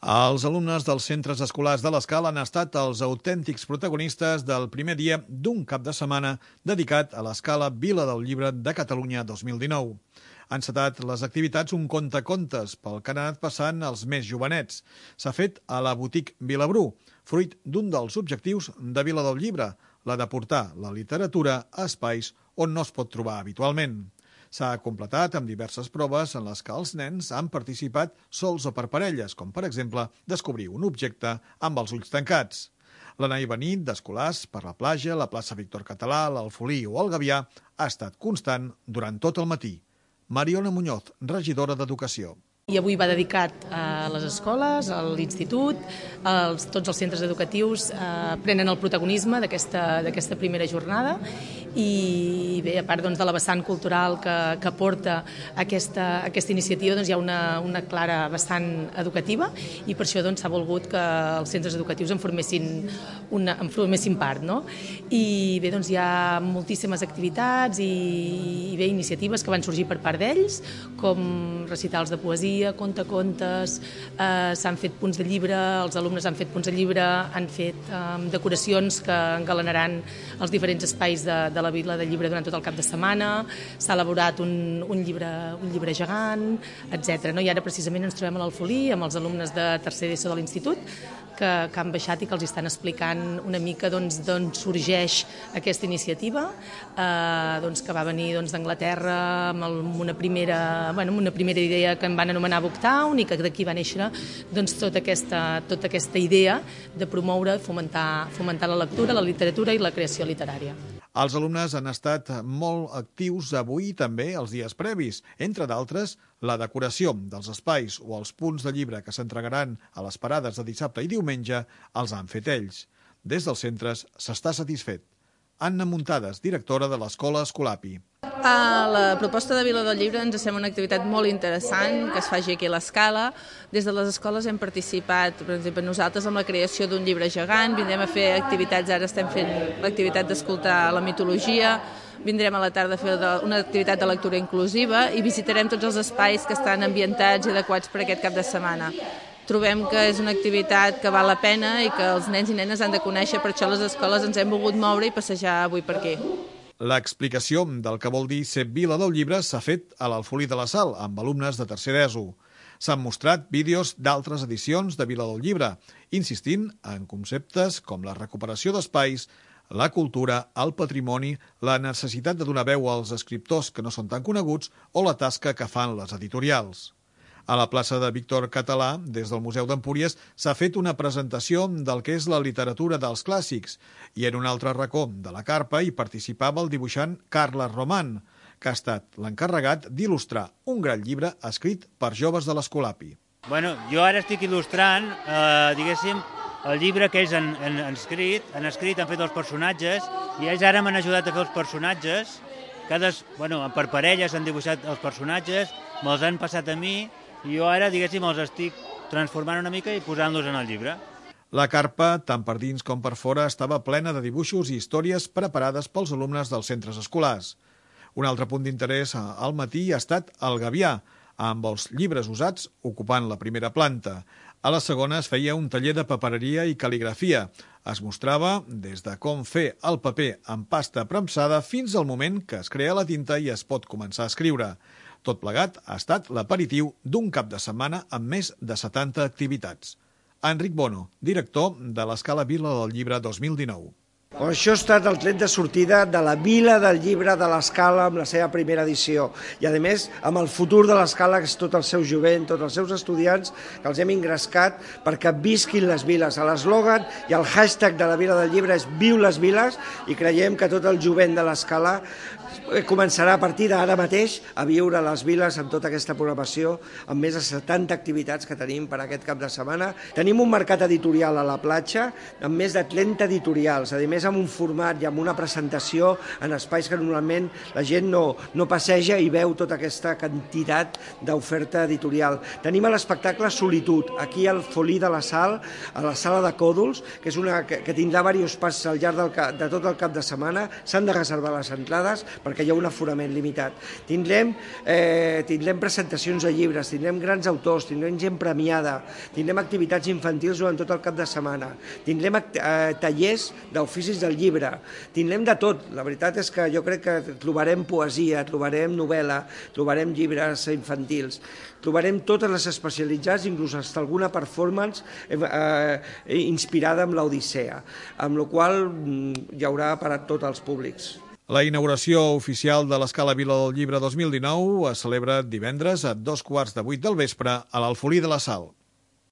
Els alumnes dels centres escolars de l'Escala han estat els autèntics protagonistes del primer dia d'un cap de setmana dedicat a l'Escala Vila del Llibre de Catalunya 2019. Han encetat les activitats un contacontes pel que han anat passant els més jovenets. S'ha fet a la Botiga Vilabrú, fruit d'un dels objectius de Vila del Llibre, la de portar la literatura a espais on no es pot trobar habitualment. S'ha completat amb diverses proves en les que els nens han participat sols o per parelles, com per exemple descobrir un objecte amb els ulls tancats. L'anar i venir d'escolars per la platja, la plaça Víctor Català, l'Alfolí o el Gavià ha estat constant durant tot el matí. Mariona Muñoz, regidora d'Educació. I avui va dedicat a les escoles, a l'institut, tots els centres educatius prenen el protagonisme d'aquesta primera jornada i bé, a part de la vessant cultural que porta aquesta iniciativa, hi ha una clara vessant educativa i per això s'ha volgut que els centres educatius en formessin part. No? I bé, hi ha moltíssimes activitats i bé, iniciatives que van sorgir per part d'ells, com recitals de poesia, contacontes, s'han fet punts de llibre, els alumnes han fet punts de llibre, han fet decoracions que engalanaran els diferents espais de la Vila del Llibre durant tot el cap de setmana, s'ha elaborat un llibre gegant, etc. I ara precisament ens trobem a l'Alfolí amb els alumnes de tercer d'ESO de l'institut que han baixat i que els estan explicant una mica d'on sorgeix aquesta iniciativa, que va venir d'Anglaterra amb una primera idea que en van anomenar Booktown i que d'aquí va néixer tota aquesta idea de promoure i fomentar la lectura, la literatura i la creació literària. Els alumnes han estat molt actius avui i també els dies previs. Entre d'altres, la decoració dels espais o els punts de llibre que s'entregaran a les parades de dissabte i diumenge els han fet ells. Des dels centres s'està satisfet. Anna Muntades, directora de l'Escola Escolapi. La proposta de Vila del Llibre ens sembla una activitat molt interessant que es faci aquí a l'Escala. Des de les escoles hem participat, per exemple, nosaltres amb la creació d'un llibre gegant, vindrem a fer activitats, ara estem fent l'activitat d'escoltar la mitologia, vindrem a la tarda a fer una activitat de lectura inclusiva i visitarem tots els espais que estan ambientats i adequats per aquest cap de setmana. Trobem que és una activitat que val la pena i que els nens i nenes han de conèixer, per això les escoles ens hem volgut moure i passejar avui per aquí. L'explicació del que vol dir ser Vila del Llibre s'ha fet a l'Alfolí de la Sal, amb alumnes de tercer d'ESO. S'han mostrat vídeos d'altres edicions de Vila del Llibre, insistint en conceptes com la recuperació d'espais, la cultura, el patrimoni, la necessitat de donar veu als escriptors que no són tan coneguts o la tasca que fan les editorials. A la plaça de Víctor Català, des del Museu d'Empúries, s'ha fet una presentació del que és la literatura dels clàssics i en un altre racó de la carpa hi participava el dibuixant Carles Roman, que ha estat l'encarregat d'il·lustrar un gran llibre escrit per joves de l'Escolapi. Jo ara estic il·lustrant, el llibre que ells han escrit, han fet els personatges i ells ara m'han ajudat a fer els personatges. Per parelles han dibuixat els personatges, me'ls han passat a mi i jo ara, els estic transformant una mica i posant-los en el llibre. La carpa, tant per dins com per fora, estava plena de dibuixos i històries preparades pels alumnes dels centres escolars. Un altre punt d'interès al matí ha estat el Gavià, amb els llibres usats ocupant la primera planta. A la segona es feia un taller de papereria i cal·ligrafia. Es mostrava des de com fer el paper amb pasta premsada fins al moment que es crea la tinta i es pot començar a escriure. Tot plegat ha estat l'aperitiu d'un cap de setmana amb més de 70 activitats. Enric Bono, director de l'Escala Vila del Llibre 2019. Això ha estat el tret de sortida de la Vila del Llibre de l'Escala amb la seva primera edició i, a més, amb el futur de l'Escala, que és tot el seu jovent, tots els seus estudiants, que els hem ingrescat perquè visquin les viles. L'eslògan i el hashtag de la Vila del Llibre és Viu les viles i creiem que tot el jovent de l'Escala començarà a partir d'ara mateix a viure les viles amb tota aquesta programació, amb més de 70 activitats que tenim per aquest cap de setmana. Tenim un mercat editorial a la platja amb més de 30 editorials. A més, més amb un format i amb una presentació en espais que normalment la gent no passeja i veu tota aquesta quantitat d'oferta editorial. Tenim l'espectacle Solitud, aquí al Folí de la Sal, a la sala de Còdols, que és que tindrà diversos passos al llarg de tot el cap de setmana. S'han de reservar les entrades perquè hi ha un aforament limitat. Tindrem presentacions de llibres, tindrem grans autors, tindrem gent premiada, tindrem activitats infantils durant tot el cap de setmana, tindrem tallers d'oficis del llibre, tindrem de tot. La veritat és que jo crec que trobarem poesia, trobarem novel·la, trobarem llibres infantils, trobarem totes les especialitzats, inclús fins alguna performance inspirada en l'Odissea, amb la qual hi haurà per a tots els públics. La inauguració oficial de l'Escala Vila del Llibre 2019 es celebra divendres a 7:15 del vespre a l'Alfolí de la Sal.